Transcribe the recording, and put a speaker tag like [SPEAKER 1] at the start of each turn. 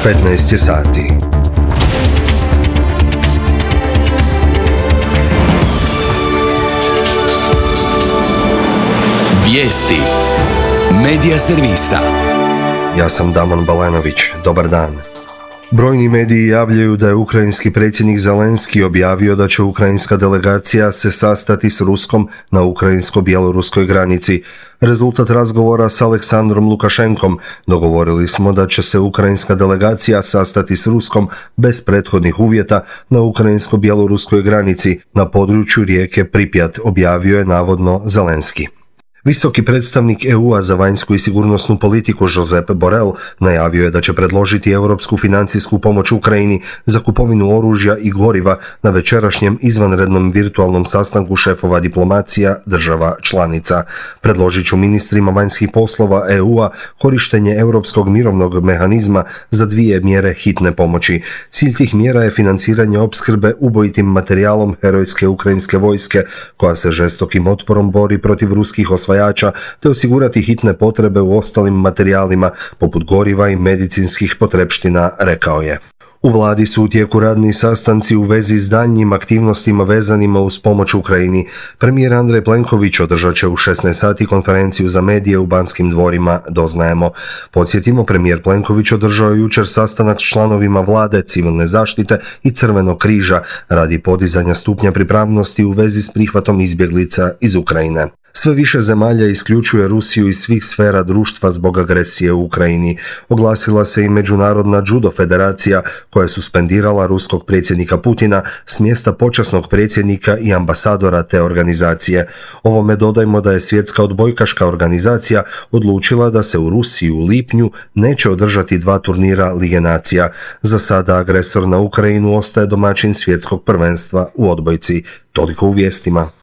[SPEAKER 1] 15 je sati.
[SPEAKER 2] Vijesti Medija servisa.
[SPEAKER 1] Ja sam Damon Balenović. Dobar dan. Brojni mediji javljaju da je ukrajinski predsjednik Zelenski objavio da će ukrajinska delegacija se sastati s Ruskom na ukrajinsko-bjeloruskoj granici. Rezultat razgovora s Aleksandrom Lukašenkom: dogovorili smo da će se ukrajinska delegacija sastati s Ruskom bez prethodnih uvjeta na ukrajinsko-bjeloruskoj granici na području rijeke Pripjat, objavio je navodno Zelenski. Visoki predstavnik EU-a za vanjsku i sigurnosnu politiku Josep Borrell najavio je da će predložiti europsku financijsku pomoć Ukrajini za kupovinu oružja i goriva na večerašnjem izvanrednom virtualnom sastanku šefova diplomacija država članica. Predložit ću ministrima vanjskih poslova EU-a korištenje europskog mirovnog mehanizma za 2 mjere hitne pomoći. Cilj tih mjera je financiranje opskrbe ubojitim materijalom herojske ukrajinske vojske koja se žestokim otporom bori protiv ruskih osvajača, te osigurati hitne potrebe u ostalim materijalima poput goriva i medicinskih potrepština, rekao je. U vladi su u tijeku radni sastanci u vezi s daljnjim aktivnostima vezanima uz pomoć Ukrajini. Premijer Andrej Plenković održat će u 16 sati konferenciju za medije u Banskim dvorima, doznajemo. Podsjetimo, premijer Plenković održao je jučer sastanak s članovima vlade, civilne zaštite i Crvenog križa radi podizanja stupnja pripravnosti u vezi s prihvatom izbjeglica iz Ukrajine. Sve više zemalja isključuje Rusiju iz svih sfera društva zbog agresije u Ukrajini. Oglasila se i Međunarodna judo federacija koja je suspendirala ruskog predsjednika Putina s mjesta počasnog predsjednika i ambasadora te organizacije. Ovome dodajmo da je Svjetska odbojkaška organizacija odlučila da se u Rusiji u lipnju neće održati 2 turnira Lige nacija. Za sada agresor na Ukrajinu ostaje domaćin svjetskog prvenstva u odbojci. Toliko u vijestima.